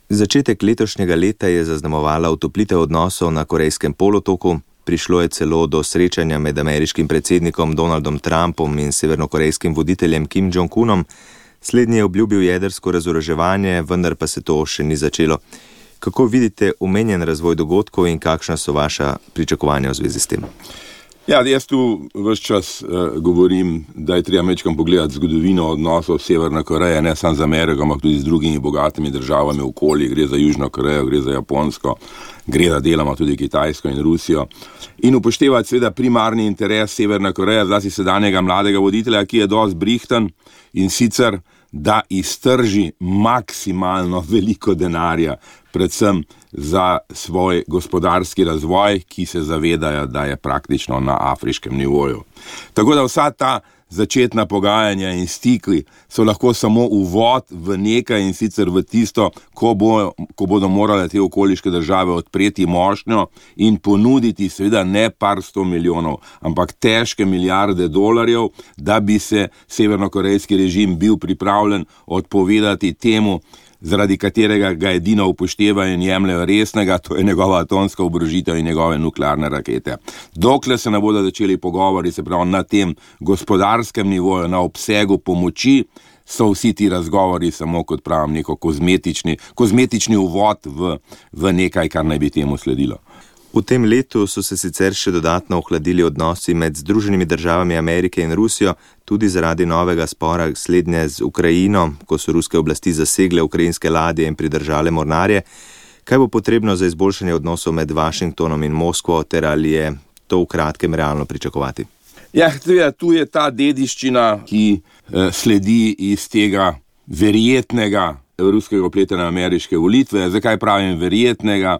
Začetek letošnjega leta je zaznamovala otoplitev odnosov na Korejskem polotoku. Prišlo je celo do srečanja med ameriškim predsednikom Donaldom Trumpom in severnokorejskim voditeljem Kim Jong-unom. Slednji je obljubil jedrsko razoroževanje, vendar pa se to še ni začelo. Kako vidite omenjen razvoj dogodkov in kakšna so vaša pričakovanja v zvezi s tem? Ja, jaz tu ves čas govorim, da je treba mečkam pogledati zgodovino odnosov Severne Koreje, ne samo z Ameriko, ampak tudi z drugimi bogatimi državami okoli. Gre za Južno Korejo, gre za Japonsko, gre za deloma tudi Kitajsko in Rusijo. In upoštevati seveda primarni interes Severne Koreje, zlasti sedanjega mladega voditelja, ki je dosti brihten, in sicer, da iztrži maksimalno veliko denarja, predvsem za svoj gospodarski razvoj, ki se zavedajo, da je praktično na afriškem nivoju. Tako da vsa ta začetna pogajanja in stikli so lahko samo uvod v nekaj, in sicer v tisto, ko bodo morale te okoliške države odpreti mošnjo in ponuditi seveda ne par 100 milijonov, ampak težke milijarde dolarjev, da bi se severnokorejski režim bil pripravljen odpovedati temu, zaradi katerega ga edino upoštevajo in jemljajo resnega, to je njegova atomska oborožitev in njegove nuklearne rakete. Dokler se ne bodo začeli pogovori, se pravi na tem gospodarskem nivoju, na obsegu pomoči, so vsi ti razgovori samo, kot pravim, neko kozmetični uvod v nekaj, kar naj bi temu sledilo. V tem letu so se sicer še dodatno ohladili odnosi med Združenimi državami Amerike in Rusijo, tudi zaradi novega spora slednje z Ukrajino, ko so ruske oblasti zasegle ukrajinske ladje in pridržale mornarje. Kaj bo potrebno za izboljšanje odnosov med Washingtonom in Moskvo, ter ali je to v kratkem realno pričakovati? Ja, tu je ta dediščina, ki sledi iz tega verjetnega ruskega vpletanja na ameriške volitve. Zakaj pravim verjetnega?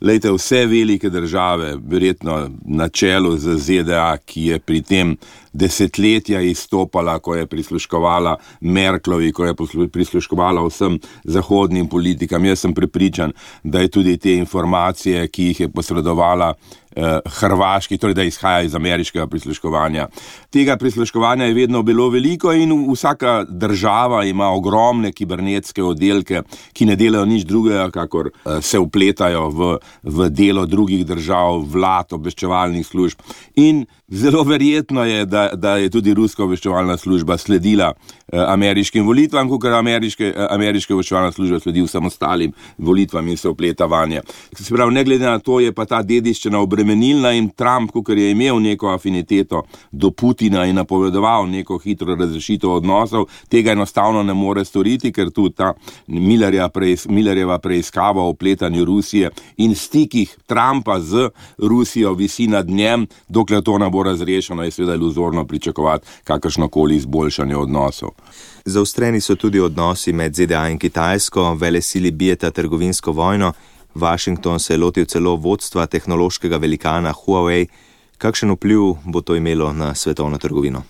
Lejte, vse velike države, verjetno na čelu z ZDA, ki je pri tem desetletja izstopala, ko je prisluškovala Merklovi, ko je prisluškovala vsem zahodnim politikam. Jaz sem prepričan, da je tudi te informacije, ki jih je posredovala Hrvaški, torej da izhaja iz ameriškega prisluškovanja. Tega prisluškovanja je vedno bilo veliko in vsaka država ima ogromne kibernetske oddelke, ki ne delajo nič drugega, kakor se vpletajo v delo drugih držav, vlad, obveščevalnih služb. In zelo verjetno je, da je tudi ruska obveščevalna služba sledila ameriškim volitvam, kakor ameriška obveščevalna služba sledi vsem ostalim volitvam in se vpleta vanje. Se pravi, ne glede na to, je pa ta dediščina obremenilna in Trump, kakor je imel neko afiniteto do Putina in napovedoval neko hitro razrešitev odnosov, tega enostavno ne more storiti, ker tudi ta Millerjeva preiskava o vpletanju Rusije in stikih Trumpa z Rusijo visi nad njem, dokler to ne bo razrešeno, je seveda iluzorno pričakovati kakršnokoli izboljšanje odnosov. Zaostreni so tudi odnosi med ZDA in Kitajsko, velesili bijeta trgovinsko vojno. Washington se je lotil celo vodstva tehnološkega velikana Huawei. Kakšen vpliv bo to imelo na svetovno trgovino?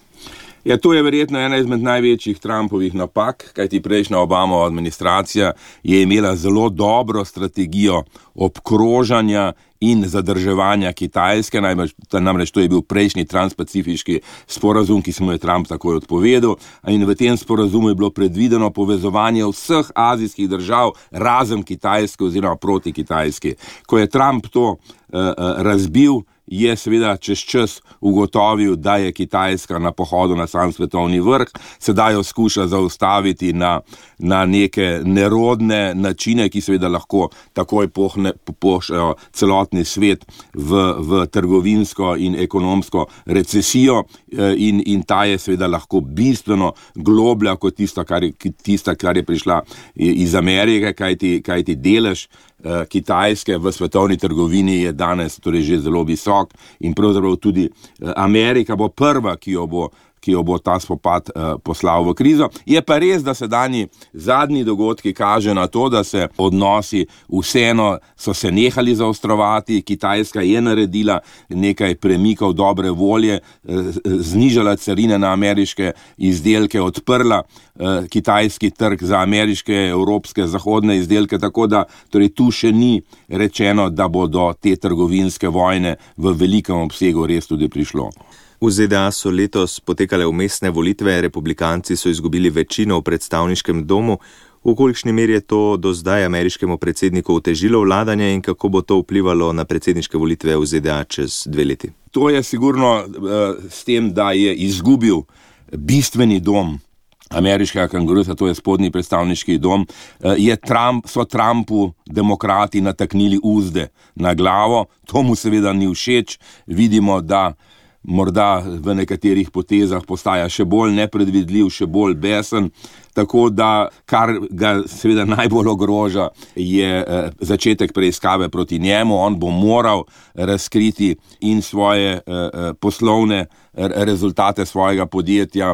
Ja, to je verjetno ena izmed največjih Trumpovih napak, kajti prejšnja Obamova administracija je imela zelo dobro strategijo obkrožanja in zadrževanja Kitajske, namreč to je bil prejšnji transpacifiški sporazum, ki se mu je Trump takoj odpovedal, in v tem sporazumu je bilo predvideno povezovanje vseh azijskih držav razen Kitajske oziroma proti Kitajski. Ko je Trump to razbil, je seveda čez čas ugotovil, da je Kitajska na pohodu na sam svetovni vrh, sedaj jo skuša zaustaviti na neke nerodne načine, ki seveda lahko takoj pošljajo celotni svet v trgovinsko in ekonomsko recesijo in ta je seveda lahko bistveno globlja kot tista, kar je prišla iz Amerike, kajti delež Kitajske v svetovni trgovini je danes torej že zelo visok in pravzaprav tudi Amerika bo prva, ki jo bo ta spopad poslal v krizo. Je pa res, da zadnji dogodki kaže na to, da se odnosi vseeno so se nehali zaostrovati. Kitajska je naredila nekaj premikov dobre volje, znižala carine na ameriške izdelke, odprla kitajski trg za ameriške, evropske, zahodne izdelke, tako da torej tu še ni rečeno, da bo do te trgovinske vojne v velikem obsegu res tudi prišlo. V ZDA so letos potekale vmesne volitve, republikanci so izgubili večino v predstavniškem domu. V kolikšni meri je to do zdaj ameriškemu predsedniku otežilo vladanje in kako bo to vplivalo na predsedniške volitve v ZDA čez 2 leti? To je sigurno s tem, da je izgubil bistveni dom ameriškega kongrusa, to je spodnji predstavniški dom, so Trumpu demokrati nataknili uzde na glavo. To mu seveda ni všeč. Vidimo, da morda v nekaterih potezah postaja še bolj nepredvidljiv, še bolj besen, tako da kar ga seveda najbolj ogroža je začetek preiskave proti njemu. On bo moral razkriti in svoje poslovne rezultate svojega podjetja.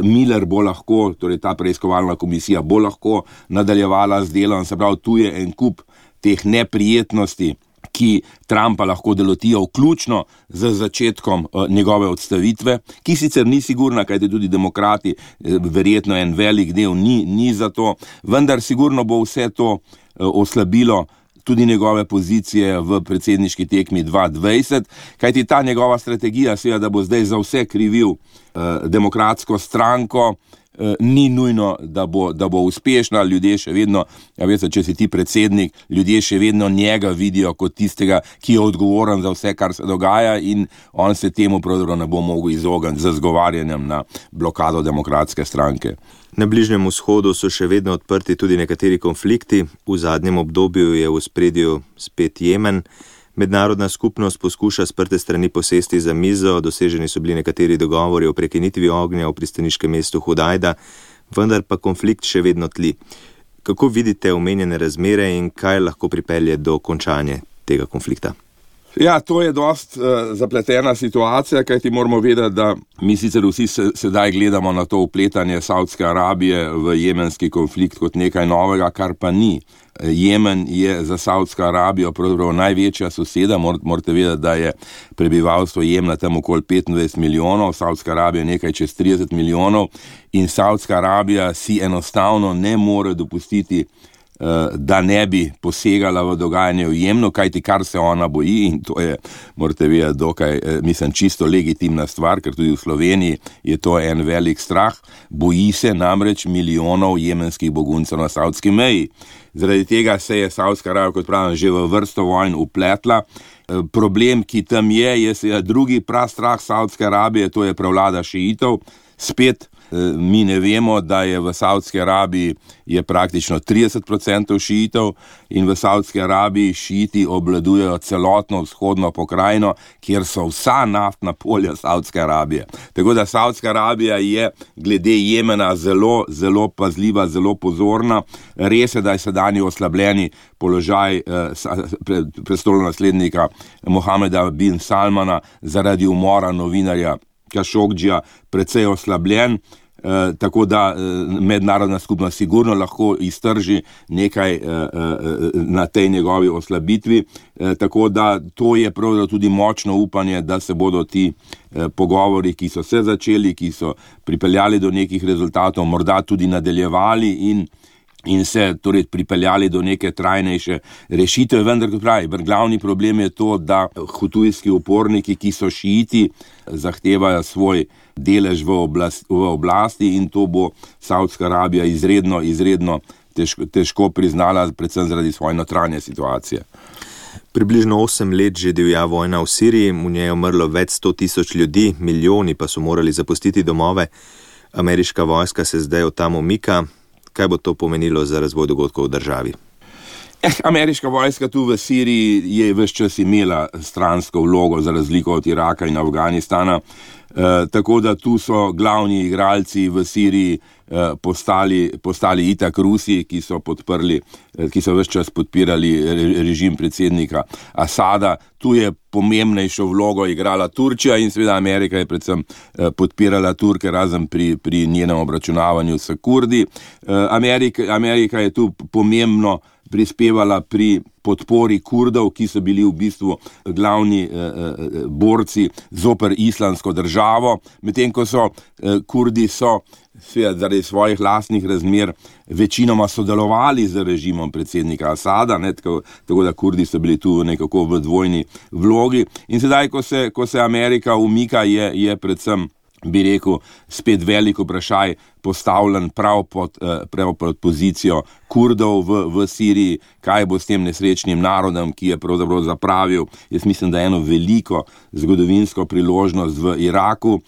Miller bo lahko, torej ta preiskovalna komisija bo lahko nadaljevala z delom, se pravi, tu je en kup teh neprijetnosti, ki Trumpa lahko delotijo, vključno z začetkom njegove odstavitve, ki sicer ni sigurna, kajti tudi demokrati, verjetno en velik del ni za to, vendar sigurno bo vse to oslabilo tudi njegove pozicije v predsedniški tekmi 2020, kajti ta njegova strategija, seveda, da bo zdaj za vse krivil demokratsko stranko, ni nujno, da bo uspešna. Ljudje še vedno, veste, če si ti predsednik, ljudje še vedno njega vidijo kot tistega, ki je odgovoren za vse, kar se dogaja, in on se temu pravzaprav ne bo mogel izogniti z zgovarjanjem na blokado demokratske stranke. Na Bližnjem vzhodu so še vedno odprti tudi nekateri konflikti. V zadnjem obdobju je v ospredju spet Jemen. Mednarodna skupnost poskuša sprte strani posesti za mizo, doseženi so bili nekateri dogovori o prekinitvi ognja v pristaniškem mestu Hudajda, vendar pa konflikt še vedno tli. Kako vidite omenjene razmere in kaj lahko pripelje do končanja tega konflikta? Ja, to je dost zapletena situacija, kajti moramo vedeti, da mi sicer vsi sedaj gledamo na to vpletanje Saudske Arabije v jemenski konflikt kot nekaj novega, kar pa ni. Jemen je za Saudsko Arabijo pravzaprav največja soseda. Morate vedeti, da je prebivalstvo Jemna tam okoli 25 milijonov, Saudska Arabija nekaj čez 30 milijonov in Saudska Arabija si enostavno ne more dopustiti, da ne bi posegala v dogajanje v Jemnu, kajti kar se ona boji, in to je, morate vedeti, dokaj, čisto legitimna stvar, ker tudi v Sloveniji je to en velik strah, boji se namreč milijonov jemenskih beguncev na saudski meji. Zaradi tega se je Saudska Arabija, kot pravim, že v vrsto vojn upletla. Problem, ki tam je seveda drugi prastrah Saudske Arabije, to je prevlada šiitov. Spet mi ne vemo, da je v Saudski Arabiji je praktično 30% šiitov in v Saudski Arabiji šiiti obvladujejo celotno vzhodno pokrajino, kjer so vsa naftna polja Saudske Arabije. Tako da Saudska Arabija je glede Jemena zelo, zelo pazljiva, zelo pozorna. Res je, da je sedanji oslabljeni položaj prestolonaslednika Mohameda bin Salmana zaradi umora novinarja Kašokdžija precej oslabljen, tako da mednarodna skupnost sigurno lahko iztrži nekaj na tej njegovi oslabitvi, tako da to je pravzaprav tudi močno upanje, da se bodo ti pogovori, ki so se začeli, ki so pripeljali do nekih rezultatov, morda tudi nadaljevali in se torej pripeljali do neke trajnejše rešitve, vendar kot pravi, glavni problem je to, da hutujski uporniki, ki so šiiti, zahtevajo svoj delež v oblasti in to bo Saudska Arabija izredno težko priznala, predvsem zaradi svoje notranje situacije. Približno 8 let že divja vojna v Siriji, v njej je umrlo več 100 000 ljudi, milijoni pa so morali zapustiti domove. Ameriška vojska se zdaj od tam umika. Kaj bo to pomenilo za razvoj dogodkov v državi? Ameriška vojska tu v Siriji je ves čas imela stransko vlogo za razliko od Iraka in Afganistana, tako da tu so glavni igralci v Siriji postali itak Rusi, ki so ves čas podpirali režim predsednika Asada. Tu je pomembnejšo vlogo igrala Turčija in seveda Amerika je predvsem podpirala Turke, razen pri njenem obračunavanju s Kurdi. Amerika je tu pomembno prispevala pri podpori Kurdov, ki so bili v bistvu glavni borci zoper islamsko državo, medtem ko so Kurdi zaradi svojih lastnih razmer večinoma sodelovali z režimom predsednika Asada, tako da Kurdi so bili tu nekako v dvojni vlogi. In sedaj, ko se Amerika umika, je predvsem, bi rekel, spet veliko vprašaj, postavljen prav pod pozicijo Kurdov v Siriji, kaj bo s tem nesrečnim narodom, ki je pravzaprav zapravil, jaz mislim, da eno veliko zgodovinsko priložnost v Iraku.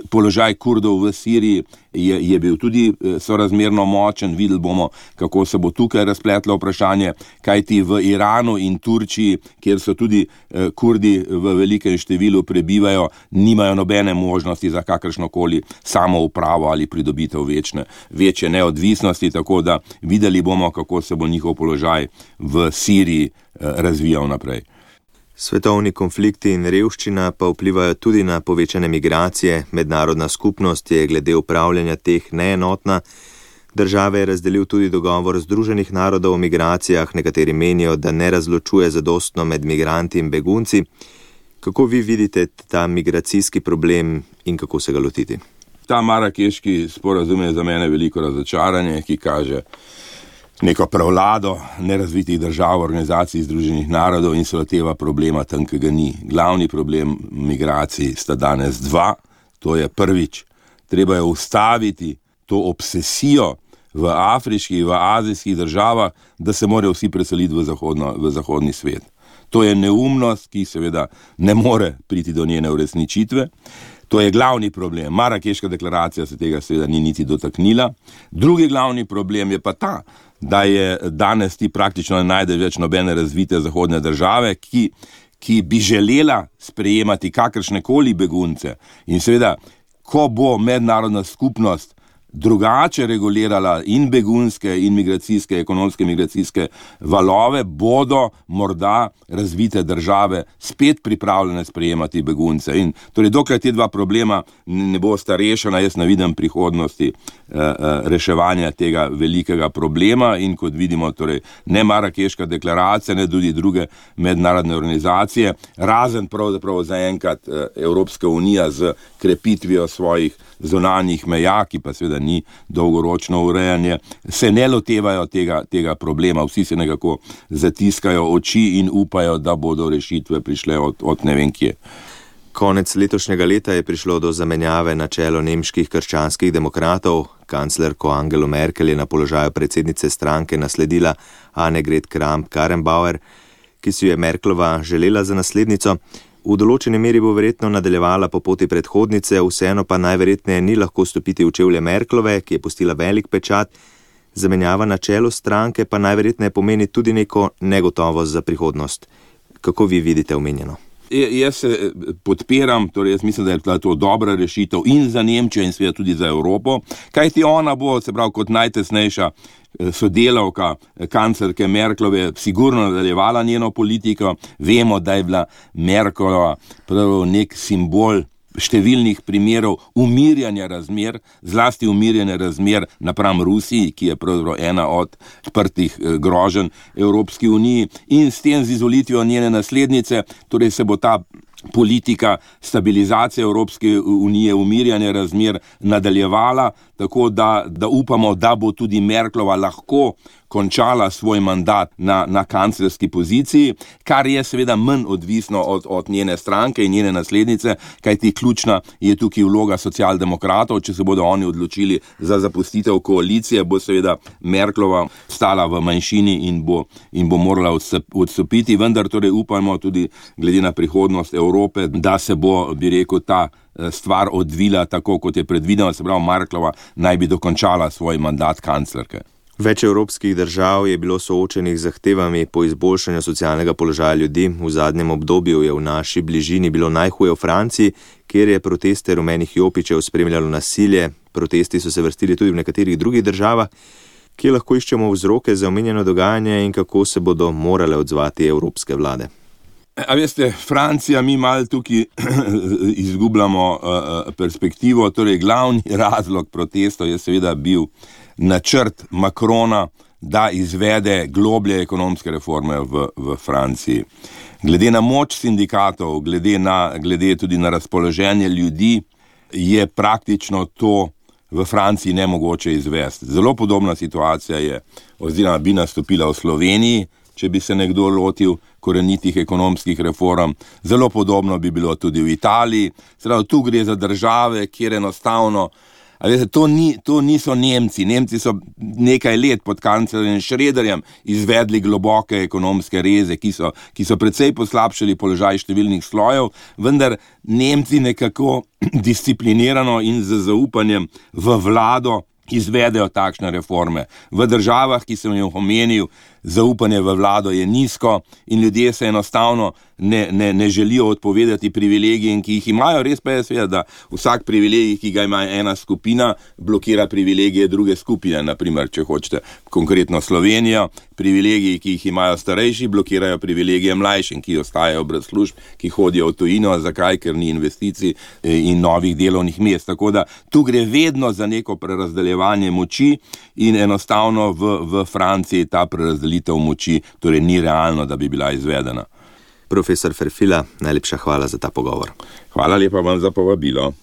Položaj Kurdov v Siriji je bil tudi sorazmerno močen, videli bomo, kako se bo tukaj razpletlo vprašanje, kajti v Iranu in Turčiji, kjer so tudi Kurdi v velikem številu prebivajo, nimajo nobene možnosti za kakršnokoli samoupravo ali pridobitev večje neodvisnosti, tako da videli bomo, kako se bo njihov položaj v Siriji razvijal naprej. Svetovni konflikti in revščina pa vplivajo tudi na povečane migracije. Mednarodna skupnost je glede upravljanja teh neenotna. Države je razdelil tudi dogovor Združenih narodov o migracijah, nekateri menijo, da ne razločuje zadostno med migranti in begunci. Kako vi vidite ta migracijski problem in kako se ga lotiti? Ta marakeški sporazum je za mene veliko razočaranje, ki kaže neko prevlado nerazvitih držav, organizacij Združenih narodov in se loteva problema tam, ki ga ni. Glavni problem migracij sta danes dva. To je prvič, treba je ustaviti to obsesijo v afriških, v azijskih državah, da se morajo vsi preseliti v zahodni svet. To je neumnost, ki seveda ne more priti do njene uresničitve. To je glavni problem. Marakeška deklaracija se tega seveda ni niti dotaknila. Drugi glavni problem je pa ta, da je danes ti praktično ne najdeš več nobene razvite zahodne države, ki bi želela sprejemati kakršnekoli begunce. In seveda, ko bo mednarodna skupnost drugače regulirala in begunske, in migracijske, ekonomske migracijske valove, bodo morda razvite države spet pripravljene sprejemati begunce. In torej, dokler te dva problema ne bosta rešena, jaz ne vidim prihodnosti reševanja tega velikega problema in kot vidimo, torej, ne Marakeška deklaracija, ne tudi druge mednarodne organizacije, razen pravzaprav zaenkrat Evropska unija z krepitvijo svojih zunanjih meja, ki pa seveda ni dolgoročno urejanje, se ne lotevajo tega problema. Vsi se nekako zatiskajo oči in upajo, da bodo rešitve prišle od ne vem kje. Konec letošnjega leta je prišlo do zamenjave na čelo nemških krščanskih demokratov. Kanclerko Angelo Merkel je na položaju predsednice stranke nasledila Annegret Kramp-Karrenbauer, ki si je Merklova želela za naslednico. V določeni meri bo verjetno nadaljevala po poti predhodnice, vseeno pa najverjetneje ni lahko stopiti v čevlje Merklove, ki je pustila velik pečat. Zamenjava na čelu stranke pa najverjetneje pomeni tudi neko negotovost za prihodnost. Kako vi vidite omenjeno? Jaz se podpiram, torej jaz mislim, da je to dobra rešitev in za Nemčijo in seveda tudi za Evropo, kajti ona bo, se pravi, kot najtesnejša sodelavka kanclerke Merklove sigurno nadaljevala njeno politiko. Vemo, da je bila Merklova prav nek simbol številnih primerov umirjanja razmer, zlasti umirjanja razmer napram Rusiji, ki je pravzaprav ena od odprtih groženj Evropski uniji, in s tem z izvolitvijo njene naslednice, torej se bo ta politika stabilizacije Evropske unije, umirjanja razmer nadaljevala, tako da upamo, da bo tudi Merklova lahko končala svoj mandat na kanclerski poziciji, kar je seveda manj odvisno od njene stranke in njene naslednice, kajti ključna je tukaj vloga socialdemokratov. Če se bodo oni odločili za zapustitev koalicije, bo seveda Merklova stala v manjšini in bo morala odstopiti, vendar torej upamo tudi glede na prihodnost Evrope, da se bo, bi rekel, ta stvar odvila tako, kot je predvideno, se pravi, Merklova naj bi dokončala svoj mandat kanclerke. Več evropskih držav je bilo soočenih z zahtevami po izboljšanju socialnega položaja ljudi. V zadnjem obdobju je v naši bližini bilo najhuje v Franciji, kjer je proteste rumenih jopičev spremljalo nasilje. Protesti so se vrstili tudi v nekaterih drugih državah, kjer lahko iščemo vzroke za omenjeno dogajanje in kako se bodo morale odzvati evropske vlade. A veste, Francija, mi malo tukaj izgubljamo perspektivo, torej glavni razlog protestov je seveda bil načrt Macrona, da izvede globlje ekonomske reforme v Franciji. Glede na moč sindikatov, glede tudi na razpoloženje ljudi, je praktično to v Franciji nemogoče izvesti. Zelo podobna situacija je, oziroma bi nastopila v Sloveniji, če bi se nekdo lotil korenitih ekonomskih reform. Zelo podobno bi bilo tudi v Italiji. Zdaj, tu gre za države, kjer enostavno To niso Nemci. Nemci so nekaj let pod kanclerjem Schröderjem izvedli globoke ekonomske reze, ki so precej poslabšali položaj številnih slojev, vendar Nemci nekako disciplinirano in z zaupanjem v vlado izvedejo takšne reforme. V državah, ki sem jih omenil, zaupanje v vlado je nizko in ljudje se enostavno ne želijo odpovedati privilegijem, ki jih imajo. Res pa je seveda, da vsak privilegij, ki ga ima ena skupina, blokira privilegije druge skupine. Naprimer, če hočete konkretno Slovenijo, privilegiji, ki jih imajo starejši, blokirajo privilegije mlajšim, ki ostajajo brez služb, ki hodijo v tujino. Zakaj? Ker ni investicij in novih delovnih mest. Tako da tu gre vedno za neko prerazdeljevanje moči in enostavno v Franciji ta prerazdelitev moči torej ni realno, da bi bila izvedena. Profesor Ferfila, najlepša hvala za ta pogovor. Hvala lepa vam za povabilo.